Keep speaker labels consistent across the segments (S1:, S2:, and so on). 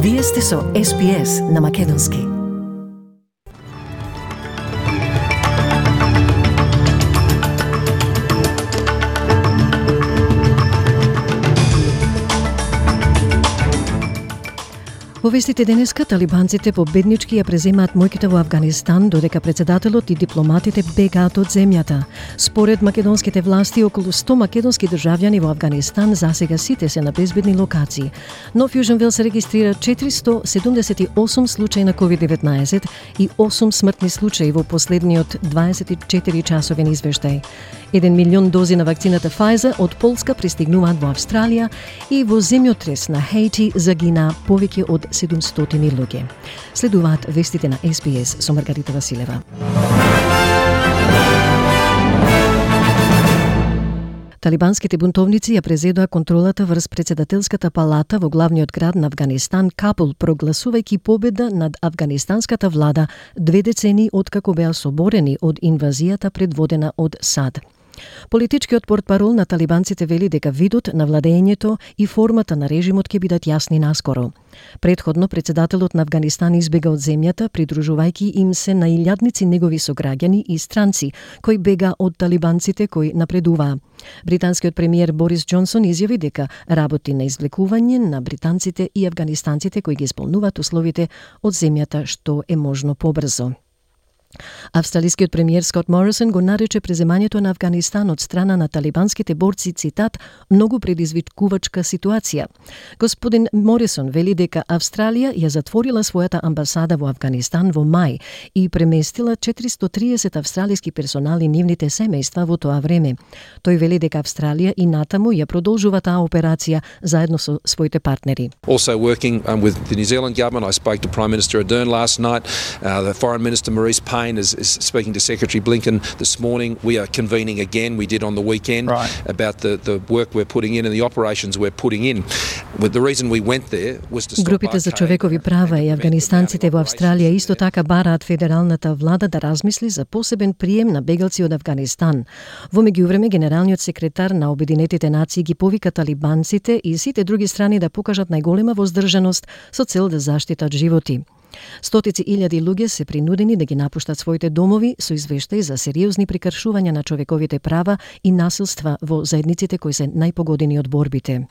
S1: Вие сте со SPS на Македонски. Во вестите денеска, талибанците победнички ја преземаат моќта во Авганистан, додека председателот и дипломатите бегаат од земјата. Според македонските власти, околу 100 македонски државјани во Авганистан засега сите се на безбедни локации. Но Fusion Well се регистрира 478 случаи на COVID-19 и 8 смртни случаи во последниот 24 часовен извештај. 1 милион дози на вакцината Pfizer од Полска пристигнуваат во Австралија и во земјотрес на Хаити загина повеќе од 700 луѓе. Следуваат вестите на SPS со Маргарита Василева. Талибанските бунтовници ја презедоа контролата врз председателската палата во главниот град на Авганистан, Кабул, прогласувајќи победа над афганистанската влада 2 децении откако беа соборени од инвазијата предводена од САД. Политичкиот портпарол на талибанците вели дека видот на владењето и формата на режимот ќе бидат јасни наскоро. Предходно, председателот на Авганистан избега од земјата, придружувајќи им се на илјадници негови сограѓани и странци, кои бега од талибанците кои напредуваа. Британскиот премиер Борис Џонсон изјави дека работи на извлекување на британците и афганистанците кои ги исполнуваат условите од земјата што е можно побрзо. Австралискиот премиер Скот Морисон го нарече преземањето на Авганистан од страна на талибанските борци, цитат, многу предизвикувачка ситуација. Господин Морисон вели дека Австралија ја затворила својата амбасада во Авганистан во мај и преместила 430 австралиски персонали нивните семејства во тоа време. Тој вели дека Австралија и натаму ја продолжува таа операција заедно со своите партнери.
S2: Also working with the New Zealand government, I spoke to Prime Minister Ardern last night. The Foreign Minister Maurice Payne is speaking to Secretary Blinken this morning. We are convening again. We did on the weekend about the work we're putting in and the operations we're putting in. But the reason we went there was to stop
S1: Групите за човекови права и афганистанците во Австралија исто така бараат федералната влада да размисли за посебен прием на бегалци од Авганистан. Во меѓувреме, генералниот секретар на Обединетите нации ги повика талибанците и сите други страни да покажат најголема воздржаност со цел да заштитат животи. Стотици илјади луѓе се принудени да ги напуштат своите домови со извештаи за сериозни прекршувања на човековите права и насилства во заедниците кои се најпогодени од борбите.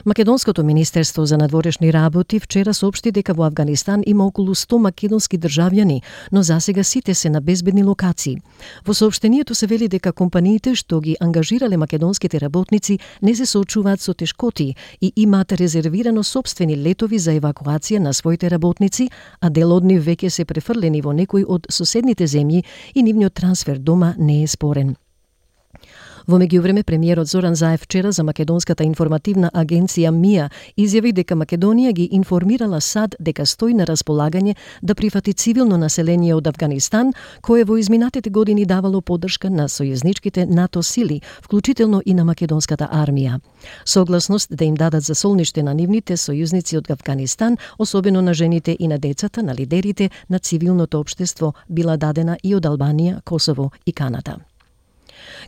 S1: Македонското министерство за надворешни работи вчера соопшти дека во Авганистан има околу 100 македонски државјани, но засега сите се на безбедни локации. Во соопштението се вели дека компаниите што ги ангажирале македонските работници не се соочуваат со тешкоти и имаат резервирано сопствени летови за евакуација на своите работници, а дел од нив веќе се префрлени во некои од соседните земји и нивниот трансфер дома не е спорен. Во меѓувреме, премиерот Зоран Заев вчера за Македонската информативна агенција МИА изјави дека Македонија ги информирала САД дека стои на располагање да прифати цивилно население од Авганистан, кое во изминатите години давало поддршка на сојузничките НАТО сили, вклучително и на македонската армија. Согласност да им дадат за солниште на нивните сојузници од Авганистан, особено на жените и на децата, на лидерите на цивилното општество, била дадена и од Албанија, Косово и Канада.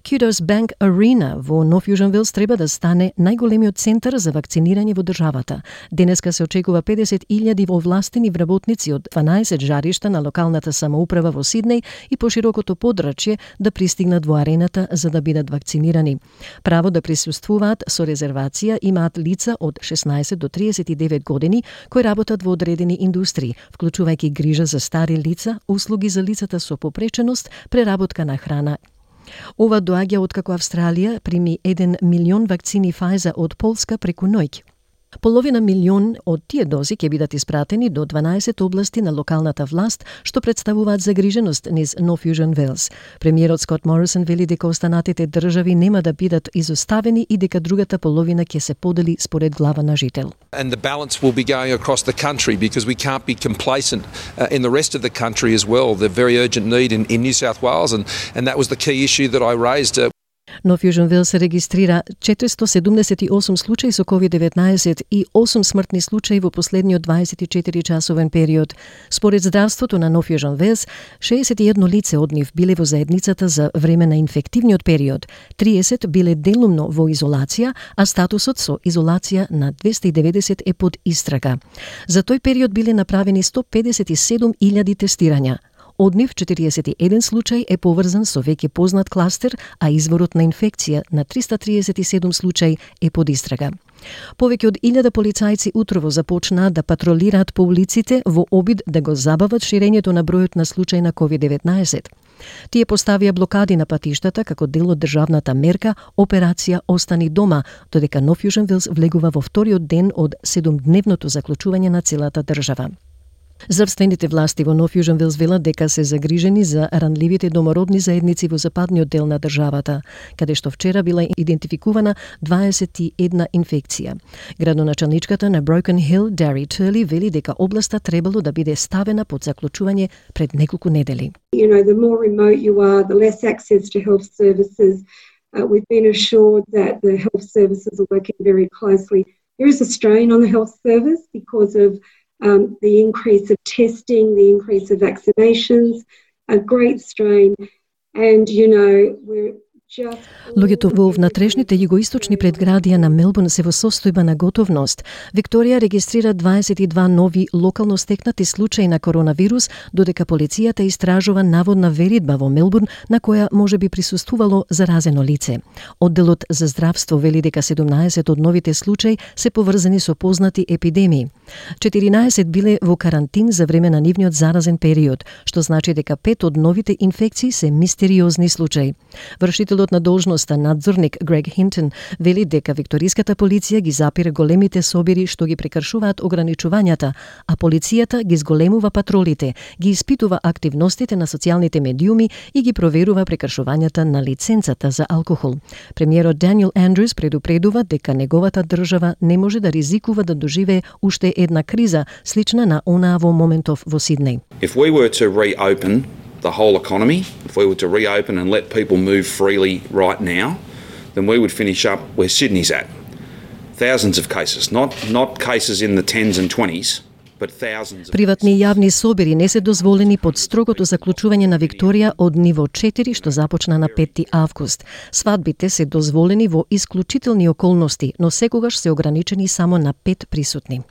S1: Kudos Bank Arena во Нов Южен Велс треба да стане најголемиот центар за вакцинирање во државата. Денеска се очекува 50.000 овластени вработници од 12 жаришта на локалната самоуправа во Сиднеј и поширокото подрачје да пристигнат во арената за да бидат вакцинирани. Право да присуствуваат со резервација имаат лица од 16 до 39 години кои работат во одредени индустрии, вклучувајќи грижа за стари лица, услуги за лицата со попреченост, преработка на храна. Ова доаѓа откако Австралија прими 1 милион вакцини Pfizer од Полска преку ноќ. Половина милион од тие дози ќе бидат испратени до 12 области на локалната власт, што представуваат загриженост низ Нов Южен Велс. Премиерот Скот Морисон вели дека останатите држави нема да бидат изоставени и дека другата половина ќе се подели според глава на жител.
S2: And the balance will be going across the country because we can't be complacent in the rest of the country as well. The very urgent need in New South Wales and that was the key issue that I raised.
S1: Нов Јужен Велс регистрира 478 случаи со COVID-19 и 8 смртни случаи во последниот 24-часовен период. Според здравството на Нов Јужен Велс, 61 лице од нив биле во заедницата за време на инфективниот период, 30 биле делумно во изолација, а статусот со изолација на 290 е под истрага. За тој период биле направени 157.000 тестирања. Од нив 41 случај е поврзан со веќе познат кластер, а изворот на инфекција на 337 случај е под истрага. Повеќе од 1000 полицајци утрово започнаа да патролираат по улиците во обид да го забават ширењето на бројот на случаи на COVID-19. Тие поставија блокади на патиштата како дел од државната мерка Операција Остани дома, додека Нов Јужен Велс влегува во вториот ден од 7-дневното заклучување на целата држава. Здравствените власти во Нов Јужен Велс велат дека се загрижени за ранливите домородни заедници во западниот дел на државата, каде што вчера била идентификувана 21 инфекција. Градоначалничката на Broken Hill, Дари Турли, вели дека областа требало да биде ставена под заклучување пред неколку недели.
S3: You know, the more remote you are, the less access to health services. We've been assured that the health services are working very closely. There is a strain on the health service because of the increase of testing, the increase of vaccinations, a great strain. And, you know, we're just...
S1: Луѓето во внатрешните југоисточни предградија на Мелбурн се во состојба на готовност. Викторија регистрира 22 нови локално стекнати случаи на коронавирус, додека полицијата истражува наводна веридба во Мелбурн на која може би присуствувало заразено лице. Одделот за здравство вели дека 17 од новите случаи се поврзани со познати епидемии. 14 биле во карантин за време на нивниот заразен период, што значи дека 5 од новите инфекции се мистериозни случаи. Вршителот на должноста надзорник Грег Хинтон вели дека викториската полиција ги запира големите собири што ги прекршуваат ограничувањата, а полицијата ги зголемува патролите, ги испитува активностите на социјалните медиуми и ги проверува прекршувањата на лиценцата за алкохол. Премиерот Даниел Андрюс предупредува дека неговата држава не може да ризикува да доживее уште една криза, слична на онаа во моментов во Сиднеј.
S4: If we were to reopen the whole economy, if we were to reopen and let people move freely right now, then we would finish up where Sydney's at. Thousands of cases, not cases in the 10s and 20s, but thousands of
S1: Приватни и јавни собири не се дозволени под строгото заклучување на Викторија од ниво 4 што започна на 5 август. Свадбите се дозволени во исклучителни околности, но секогаш се ограничени само на 5 присутни.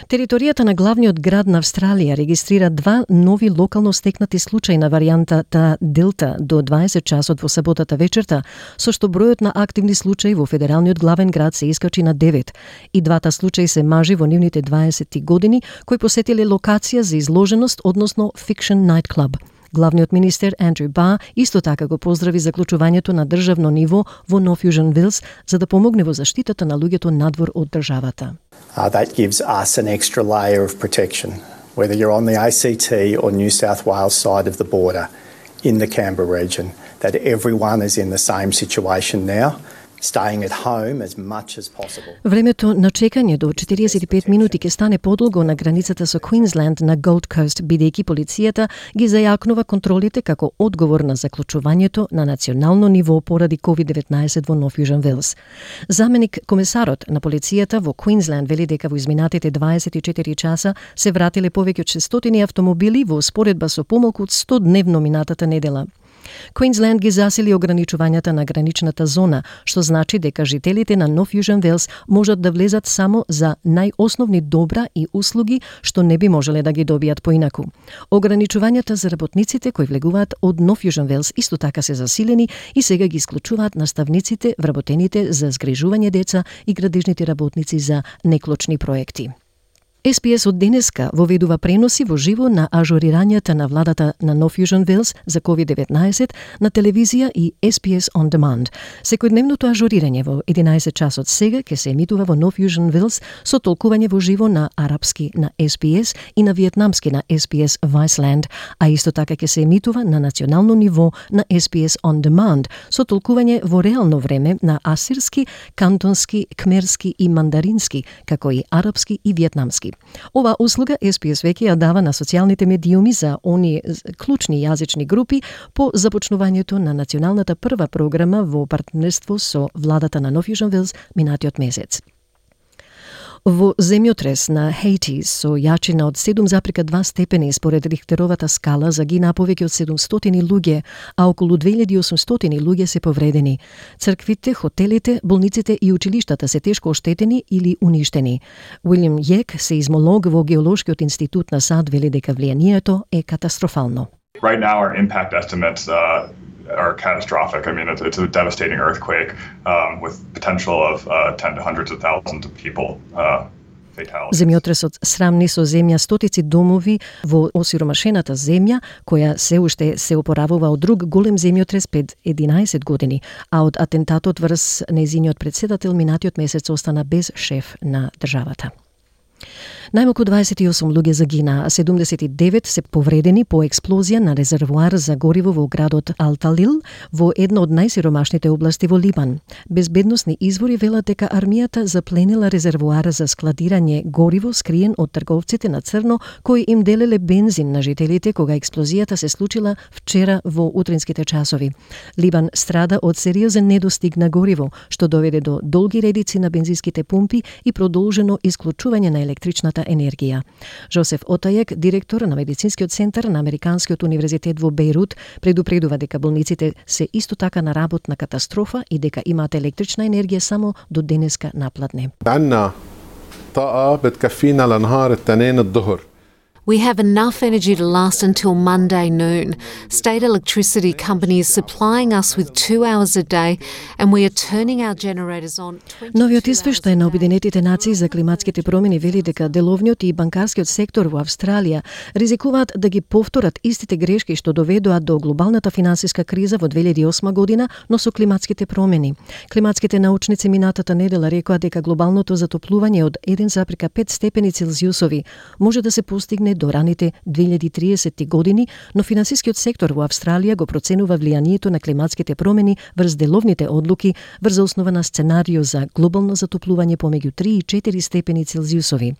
S1: Територијата на главниот град на Австралија регистрира 2 нови локално стекнати случаи на варијантата Делта до 20 часот во саботата вечерта, со што бројот на активни случаи во федералниот главен град се искачи на 9. И двата случаи се мажи во нивните 20 години кои посетиле локација за изложеност, односно Fiction Night Club. Главниот министер Андрю Бар исто така го поздрави заклучувањето на државно ниво во Нов Јужен Велс за да помогне во заштитата на луѓето надвор од државата.
S5: That gives us an extra layer of protection, whether you're on the ACT or New South Wales side of the border in the Canberra region, that everyone is in the same situation now, staying at home as much as possible.
S1: Времето на чекање до 45 минути ќе стане подолго на границата со Квинсленд на Gold Coast, бидејќи полицијата ги зајакнува контролите како одговор на заклучувањето на национално ниво поради COVID-19 во Нов Јужен Велс. Заменик комесарот на полицијата во Квинсленд вели дека во изминатите 24 часа се вратиле повеќе од 600 автомобили во споредба со помалку од 100 дневно минатата недела. Квинсленд ги засили ограничувањата на граничната зона, што значи дека жителите на Нов Јужен Велс можат да влезат само за најосновни добра и услуги што не би можеле да ги добијат поинаку. Ограничувањата за работниците кои влегуваат од Нов Јужен Велс исто така се засилени и сега ги исклучуваат наставниците, вработените за згрижување деца и градежните работници за неклучни проекти. SPS од денеска воведува преноси во живо на ажурирањата на владата на Нов Јужен Велс за COVID-19 на телевизија и SPS On Demand. Секојдневното ажурирање во 11 часот сега ќе се емитува во Нов Јужен Велс со толкување во живо на арапски на SPS и на виетнамски на SPS Viceland, а исто така ќе се емитува на национално ниво на SPS On Demand со толкување во реално време на асирски, кантонски, кмерски и мандарински, како и арапски и виетнамски. јазици. Ова услуга SPS веќе ја дава на социјалните медиуми за оние клучни јазични групи по започнувањето на националната прва програма во партнерство со владата на Нов Јужен Велс минатиот месец. Во земјотрес на Хаити со јачина од 7,2 степени според Рихтеровата скала загина повеќе од 700 луѓе, а околу 2800 луѓе се повредени. Црквите, хотелите, болниците и училиштата се тешко оштетени или уништени. Уилјам Јек, сеизмолог во Геолошкиот институт на САД, вели дека влијанието е катастрофално.
S6: Right now, our impact estimates are catastrophic. I mean, it's a devastating earthquake with potential of 10 to hundreds of thousands of people.
S1: Земјотресот срамни со земја стотици домови во осиромашената земја, која се уште се опоравува од друг голем земјотрес пред 11 години, а од атентатот врз нејзиниот председател минатиот месец остана без шеф на државата. Најмалку 28 луѓе загина, а 79 се повредени по експлозија на резервоар за гориво во градот Ал-Талил, во една од најсиромашните области во Либан. Безбедносни извори велат дека армијата запленила резервоар за складирање гориво скриен од трговците на црно, кои им делеле бензин на жителите кога експлозијата се случила вчера во утринските часови. Либан страда од сериозен недостиг на гориво, што доведе до долги редици на бензинските пумпи и продолжено исклучување на електричната енергија. Жозеф Отајек, директор на медицинскиот центар на Американскиот универзитет во Бејрут, предупредува дека болниците се исто така на работна катастрофа и дека имаат електрична енергија само до денеска напладне.
S7: عندنا طاقة بتكفينا لنهار التنين الظهر.
S8: We have enough energy to last until Monday noon. State electricity companies supplying us with 2 hours a day, and we are turning our generators on.
S1: Новиот извештај на Обединетите нации за климатските промени вели дека деловниот и банкарскиот сектор во Австралија ризикуваат да ги повторат истите грешки што доведоа до глобалната финансиска криза во 2008 година, но со климатските промени. Климатските научници минатата недела рекоа дека глобалното затоплување од 1,5 степени Целзиусови може да се постигне до раните 2030 години, но финансискиот сектор во Австралија го проценува влијанието на климатските промени врз деловните одлуки врз основа на сценарио за глобално затоплување помеѓу 3 и 4 степени Целзиусови.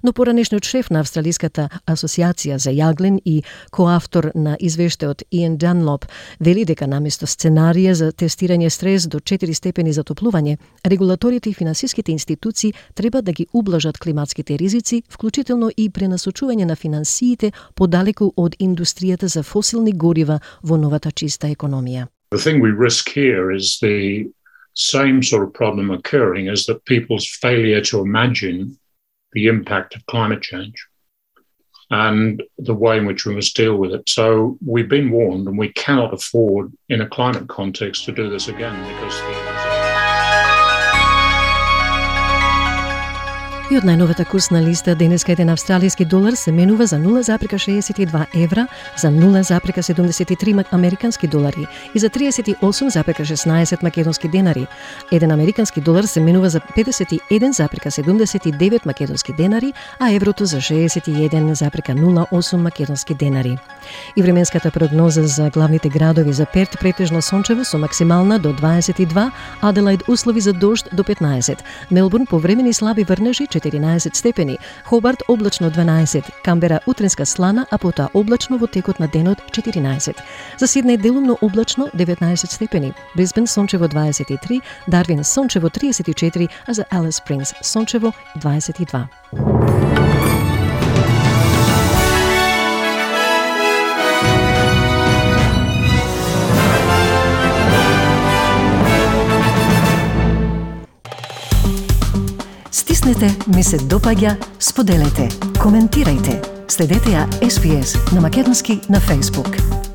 S1: Но поранешниот шеф на Австралиската асоциација за јаглен и коавтор на извештајот Иен Данлоп вели дека наместо сценарија за тестирање стрес до 4 степени затоплување, регулаторите и финансиските институции треба да ги ублажат климатските ризици, вклучително и пренасочување на финансиите подалеку од индустријата за фосилни горива во новата чиста економија.
S9: The thing we risk here is the same sort of problem occurring is that people's failure to imagine the impact of climate change and the way in which we must deal with it. So we've been warned and we cannot afford in a climate context to do this again because
S1: И од најновата курсна листа денеска еден австралиски долар се менува за 0,62 евра, за 0,73 американски долари и за 38,16 македонски денари. Еден американски долар се менува за 51,79 македонски денари, а еврото за 61,08 македонски денари. И временската прогноза за главните градови: за Перт претежно сончево со максимална до 22, Аделаид услови за дожд до 15, Мелбурн повремени слаби врнежи 14 степени, Хобарт облачно 12, Камбера утринска слана, а потоа облачно во текот на денот 14. За Сиднеј делумно облачно 19 степени, Брисбен сончево 23, Дарвин сончево 34, а за Алис Спрингс сончево 22. Стиснете, ми се допаѓа, споделете, коментирајте. Следете ја SPS на македонски на Facebook.